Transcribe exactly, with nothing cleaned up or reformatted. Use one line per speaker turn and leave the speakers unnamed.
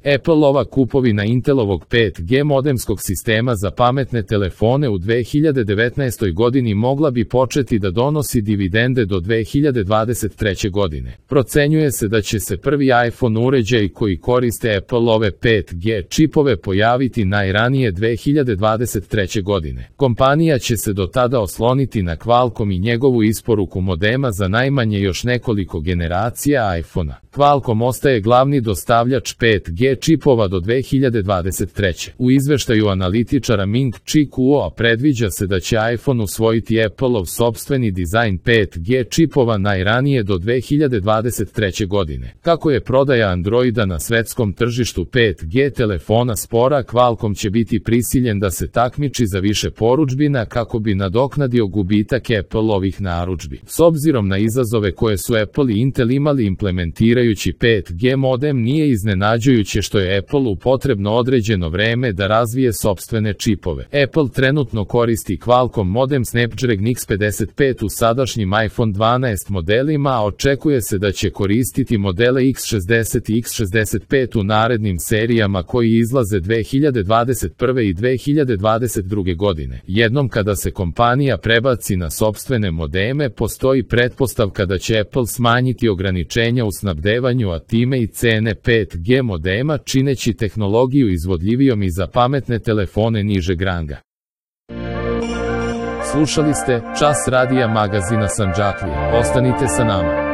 Appleova kupovina Intelovog pet G modemskog sistema za pametne telefone u dve hiljade devetnaestoj godini mogla bi početi da donosi dividende do dve hiljade dvadeset treće godine. Procenjuje se da će se prvi iPhone uređaji koji koriste Appleove pet G čipove pojaviti najranije dve hiljade dvadeset treće godine. Kompanija će se do tada osloniti na Qualcomm i njegovu isporuku modema za najmanje još nekoliko generacija iPhona. Qualcomm ostaje glavni dostavljač pet G čipova do dve hiljade dvadeset treće. U izveštaju analitičara Ming Chi Kuo predviđa se da će iPhone usvojiti Appleov sopstveni dizajn pet G čipova najranije do dve hiljade dvadeset treće godine. Kako je prodaja Androida na svetskom tržištu pet G telefona spora, Qualcomm će biti prisiljen da se takmiči za više porudžbina kako bi nadoknadio gubitak Appleovih narudžbi. S obzirom na izazove koje su Apple i Intel imali implementirajući pet G modem, nije iznenađujuće što je Appleu potrebno određeno vreme da razvije sopstvene čipove. Apple trenutno koristi Qualcomm modem Snapdragon X pedeset pet u sadašnjim iPhone dvanaest modelima, a očekuje se da će koristiti modele X šezdeset i X šezdeset pet u narednim serijama koji izlaze dve hiljade dvadeset prve i dve hiljade dvadeset druge godine. Jednom kada se kompanija prebaci na sopstvene modeme, postoji pretpostavka da će Apple smanjiti ograničenja u snabdevanju, a time i cene pet G modema, čineći tehnologiju izvodljivijom i za pametne telefone nižeg ranga. Slušali ste Čas radija magazina Sandžaklija. Ostanite sa nama.